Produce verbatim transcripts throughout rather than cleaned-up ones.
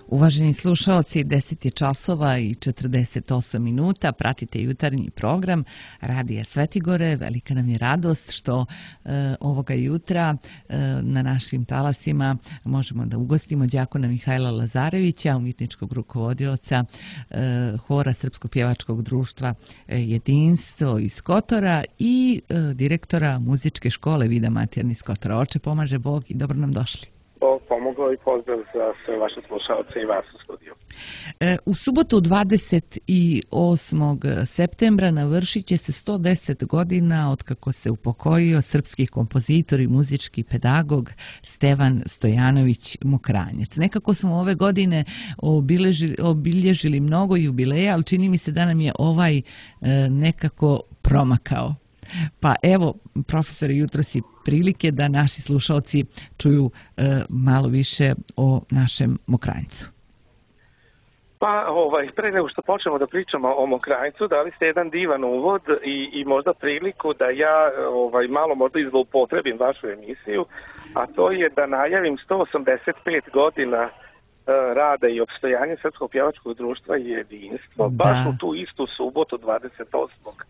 Uvaženi slušaoci, deset je časova i četrdeset osam minuta, pratite jutarnji program Radija Svetigore. Velika nam je radost što e, ovoga jutra e, na našim talasima možemo da ugostimo đakona Mihajla Lazarevića, umjetničkog rukovodioca e, hora Srpskog pjevačkog društva e, Jedinstvo iz Kotora i e, direktora muzičke škole Vida Matijan iz Kotora. Oče, pomaže Bog i dobro nam došli. Bog pomogao i pozdrav za sve vaše slušalce i vas u studiju. E, u subotu dvadeset osmog septembra navršit će se sto deset godina od kako se upokojio srpski kompozitor i muzički pedagog Stevan Stojanović Mokranjac. Nekako smo ove godine obilježili, obilježili mnogo jubileja, ali čini mi se da nam je ovaj e, nekako promakao. Pa evo, profesore, jutro si prilike da naši slušalci čuju e, malo više o našem Mokranjcu. Pa, ovaj, pre nego što počnemo da pričamo o Mokranjcu, dali ste jedan divan uvod i, i možda priliku da ja ovaj, malo možda izloupotrebim vašu emisiju, a to je da najavim sto osamdeset pet godina rada i opstojanja Srpskog pjevačkog društva i Jedinstvo, da. Baš u tu istu subotu dvadeset osmog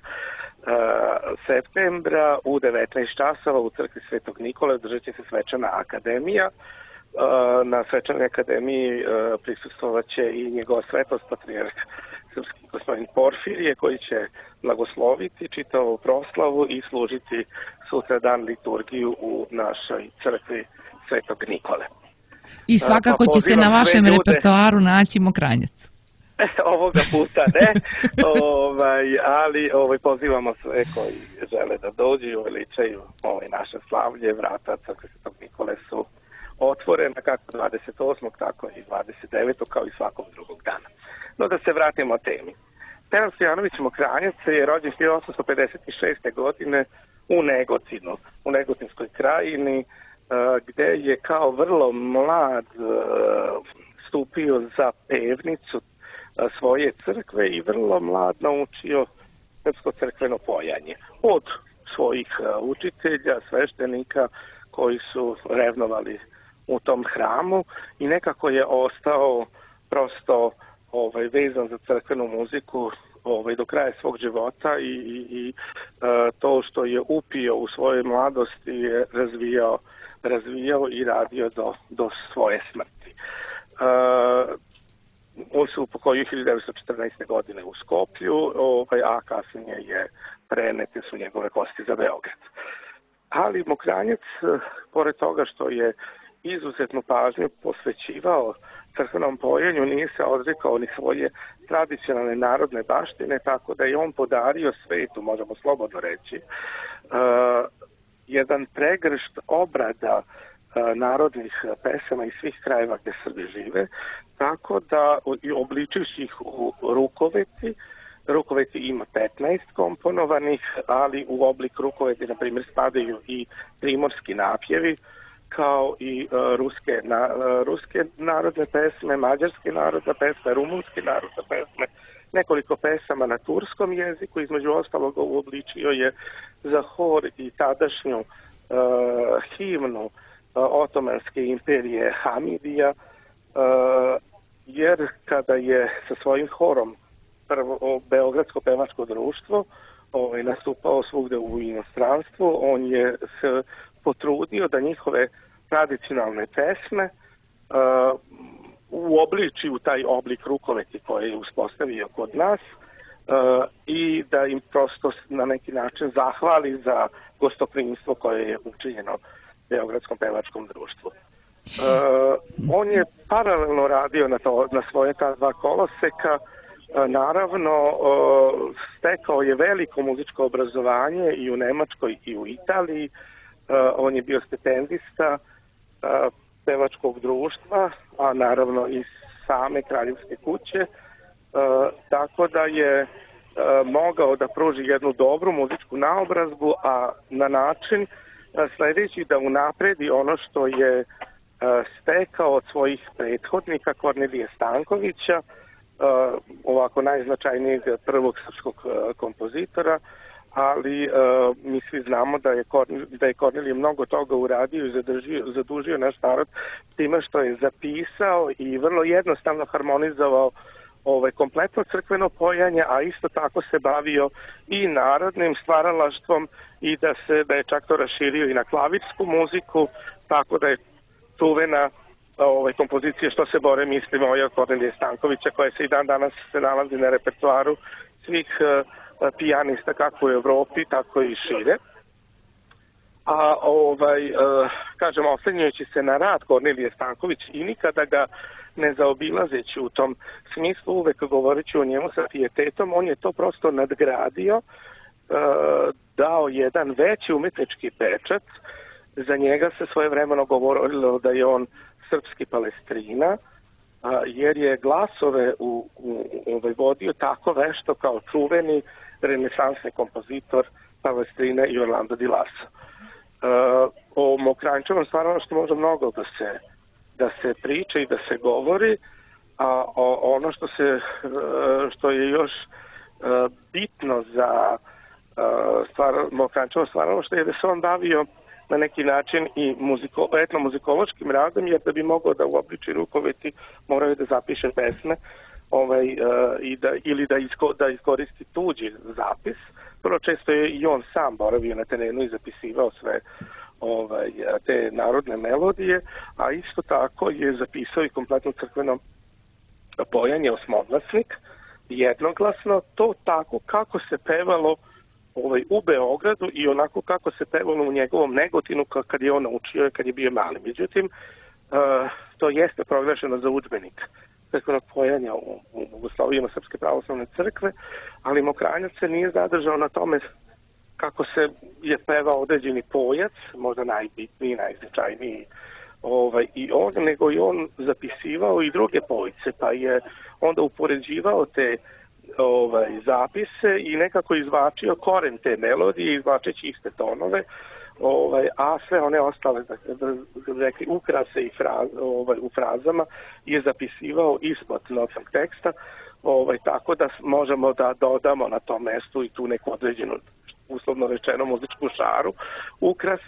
septembra u devetnaest časova u crkvi Svetog Nikole održat će se svečana akademija. Na svečanoj akademiji prisustvovat će i njegova svetost patrijarh srpski gospodin Porfirije, koji će blagosloviti čitavu proslavu i služiti sutra dan liturgiju u našoj crkvi Svetog Nikole. I svakako pa će se na vašem repertoaru naći Mokranjac. Ovoga puta ne, ovaj, ali ovaj, pozivamo sve koji žele da dođu i uveličaju ovaj, naše slavlje. Vrata crkve Svetog Nikole su otvorena kako dvadeset osmog tako i dvadeset devetog kao i svakog drugog dana. No da se vratimo temi. Stevan Stojanović Mokranjac je rođen hiljadu osamsto pedeset šeste. godine u Negotinu, u Negotinskoj krajini, gde je kao vrlo mlad stupio za pevnicu svoje crkve i vrlo mlad naučio srpsko crkveno pojanje od svojih učitelja, sveštenika koji su revnovali u tom hramu i nekako je ostao prosto ovaj, vezan za crkvenu muziku ovaj, do kraja svog života i, i, i to što je upio u svojoj mladosti je razvijao, razvijao i radio do, do svoje smrti. Uh, On se upokojio hiljadu devetsto četrnaeste. godine u Skoplju, ovaj, a kasnije je prenete su njegove kosti za Beograd. Ali Mokranjac, pored toga što je izuzetnu pažnju posvećivao crkvenom pojenju, nije se odrekao ni svoje tradicionalne narodne baštine, tako da je on podario svetu, možemo slobodno reći, uh, jedan pregršt obrada narodnih pesama iz svih krajeva gde Srbi žive, tako da obličujući ih u rukoveti, rukoveti ima petnaest komponovanih, ali u oblik rukoveti, na primjer, spadaju i primorski napjevi, kao i uh, ruske, na, uh, ruske narodne pesme, mađarske narodne pesme, rumunske narodne pesme, nekoliko pesama na turskom jeziku, između ostalog uobličio je za hor i tadašnju uh, himnu Otomanske imperije Hamidija, jer kada je sa svojim horom prvo Beogradsko pevačko društvo ovaj, nastupao svugde u inostranstvu, on je se potrudio da njihove tradicionalne pesme uh, uobliči u taj oblik rukoveti koji je uspostavio kod nas uh, i da im prosto na neki način zahvali za gostoprimstvo koje je učinjeno Beogradskom pevačkom društvu. Uh, on je paralelno radio na, to, na svoje ta dva koloseka. Uh, naravno, uh, stekao je veliko muzičko obrazovanje i u Nemačkoj i u Italiji. Uh, on je bio stipendista uh, pevačkog društva, a naravno i same kraljevske kuće. Uh, tako da je uh, mogao da pruži jednu dobru muzičku naobrazbu, a na način sljedeći da unapredi ono što je uh, stekao od svojih prethodnika Kornelije Stankovića, uh, ovako najznačajnijeg prvog srpskog uh, kompozitora, ali uh, mi svi znamo da je, Kornil, da je Kornilije mnogo toga uradio i zadužio, zadužio naš narod time što je zapisao i vrlo jednostavno harmonizovao ovaj, kompletno crkveno pojanje, a isto tako se bavio i narodnim stvaralaštvom i da se da je čak to raširio i na klavirsku muziku, tako da je čuvena ovaj, kompozicija Što se bore misli moja Kornelije Stankovića, koja se i dan danas se nalazi na repertoaru svih uh, pijanista kako u Evropi, tako i šire. A ovaj, uh, kažem, oslanjajući se na rad Kornelije Stanković i nikada ga ne zaobilazeći u tom smislu, uvek govoreći o njemu sa pijetetom, on je to prosto nadgradio, uh, dao jedan veći umetnički pečat. Za njega se svojevremeno govorilo da je on srpski Palestrina, jer je glasove u, u, u vodio tako vešto kao čuveni renesansni kompozitor Palestrina i Orlando di Lasso. Uh, o Mokranjčevom stvaralaštvu može mnogo da se, da se priča i da se govori, a o, ono što, se, uh, što je još uh, bitno za uh, stvar, Mokranjčevo stvaralaštvo je da se on bavio na neki način i muziko, etnomuzikološkim radom, jer da bi mogao da uobliči rukoveti moraju da zapiše pesme ovaj, uh, i da, ili da, isko, da iskoristi tuđi zapis. Vrlo često je i on sam boravio na terenu i zapisivao sve ovaj, te narodne melodije, a isto tako je zapisao i kompletno crkveno pojanje osmoglasnik, jednoglasno, to tako kako se pevalo ovaj, u Beogradu i onako kako se pevalo u njegovom Negotinu kad je on naučio, kad je bio mali. Međutim, uh, to jeste proglašeno za udžbenik crkvenog pojanja u, u Bogoslovijama Srpske pravoslavne crkve, ali Mokranjac se nije zadržao na tome kako se je pevao određeni pojac, možda najbitniji, najznačajniji, ovaj, i on, nego i on zapisivao i druge pojice, pa je onda upoređivao te ovaj, zapise i nekako izvačio koren te melodije, izvačeći iste tonove, ovaj, a sve one ostale, da, da, da rekli, ukrase i fraz, ovaj, u frazama je zapisivao ispod notnog teksta, ovaj, tako da možemo da dodamo na tom mestu i tu neku određenu, uslovno rečeno, muzičku šaru, ukras,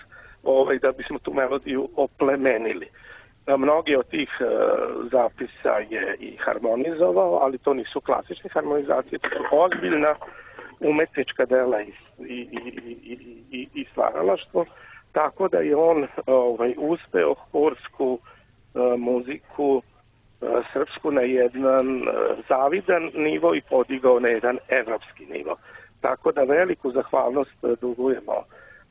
ovaj, da bismo tu melodiju oplemenili. Mnogi od tih uh, zapisa je i harmonizovao, ali to nisu klasične harmonizacije, to su ozbiljna umetnička dela i, i, i, i, i, i stvaralaštvo, tako da je on ovaj, uspeo horsku uh, muziku uh, srpsku na jedan uh, zavidan nivo i podigao na jedan evropski nivo. Tako da veliku zahvalnost uh, dugujemo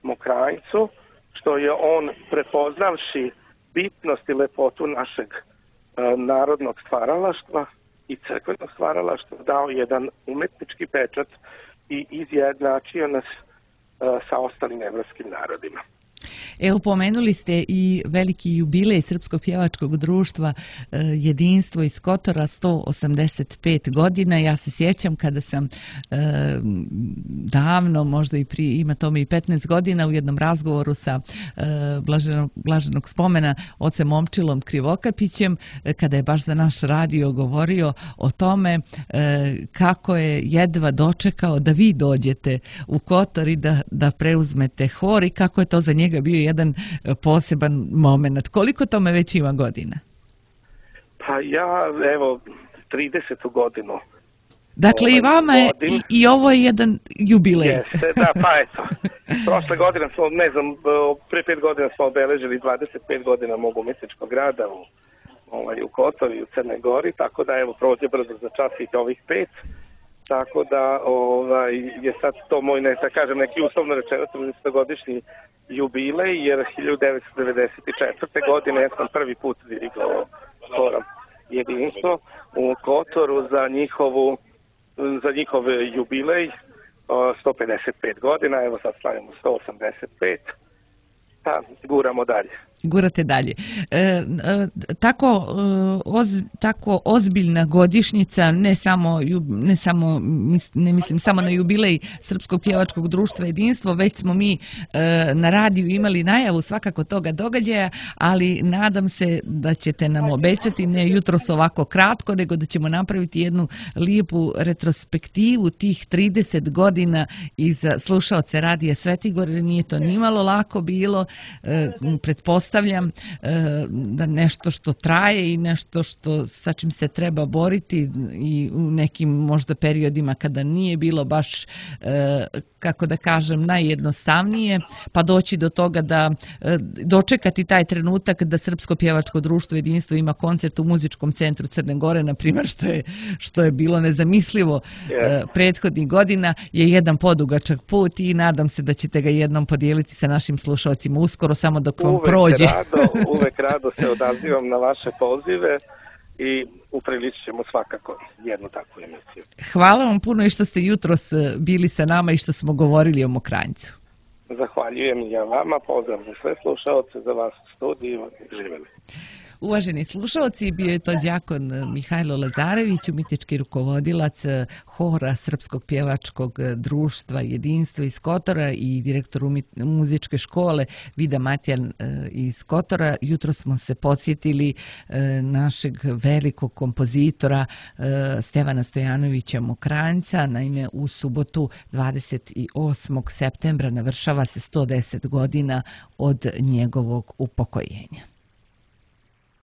Mokranjcu, što je on prepoznavši bitnost i lepotu našeg uh, narodnog stvaralaštva i crkvenog stvaralaštva dao jedan umetnički pečat i izjednačio nas uh, sa ostalim evropskim narodima. Evo, pomenuli ste i veliki jubilej Srpskog pjevačkog društva Jedinstvo iz Kotora, sto osamdeset pet godina. Ja se sjećam kada sam eh, davno, možda i prije, ima tome i petnaest godina, u jednom razgovoru sa eh, blaženog, blaženog spomena ocem Momčilom Krivokapićem, eh, kada je baš za naš radio govorio o tome eh, kako je jedva dočekao da vi dođete u Kotor i da, da preuzmete hor i kako je to za njega bio jedan poseban moment. Koliko tome već ima godina? Pa ja, evo, tridesetu godinu. Dakle, ovaj, i vama je, i, i ovo je jedan jubilej. Jeste, da, pa eto. Prošle godine smo, ne znam, pre pet godina smo obeležili dvadeset pet godina mog umetničkog rada u, ovaj, u Kotoru i u Crnoj Gori, tako da, evo, prođe brzo za čas i ovih pet. Tako da ovaj, je sad to moj, ne, da kažem, neki uslovno rečeno tridesetogodišnji jubilej, jer hiljadu devetsto devedeset četvrte. godine ja sam prvi put dirigovao horom Jedinstvo u Kotoru za njihovu za njihov jubilej sto pedeset pet godina, evo sad slavimo sto osamdeset pet, pa guramo dalje. gurate dalje. E, e, tako, e, oz, tako ozbiljna godišnjica, ne samo, ne samo, ne mislim samo na jubilej Srpskog pjevačkog društva Jedinstvo, već smo mi e, na radiju imali najavu svakako toga događaja, ali nadam se da ćete nam obećati, ne jutros ovako kratko, nego da ćemo napraviti jednu lijepu retrospektivu tih trideset godina iz slušaoce radija Svetigor, jer nije to nimalo lako bilo, e, pretpostavljam da nešto što traje i nešto što sa čim se treba boriti i u nekim možda periodima kada nije bilo baš, kako da kažem, najjednostavnije, pa doći do toga da dočekati taj trenutak da Srpsko pjevačko društvo Jedinstvo ima koncert u Muzičkom centru Crne Gore, na primjer, što je, što je bilo nezamislivo yeah. prethodnih godina, je jedan podugačak put i nadam se da ćete ga jednom podijeliti sa našim slušalcima uskoro, samo dok vam uvek prođe. Rado, uvek rado se odazivam na vaše pozive i upriličit ćemo svakako jednu takvu emisiju. Hvala vam puno i što ste jutros bili sa nama i što smo govorili o Mokranjcu. Zahvaljujem ja vama, pozdrav za sve slušalce, za vas u studiju, živjeli. Uvaženi slušalci, bio je to đakon Mihajlo Lazarević, umjetnički rukovodilac hora Srpskog pjevačkog društva Jedinstvo iz Kotora i direktor muzičke škole Vida Matjan iz Kotora. Jutro smo se podsjetili našeg velikog kompozitora Stevana Stojanovića Mokranjca. Naime, u subotu dvadeset osmog septembra navršava se sto deset godina od njegovog upokojenja.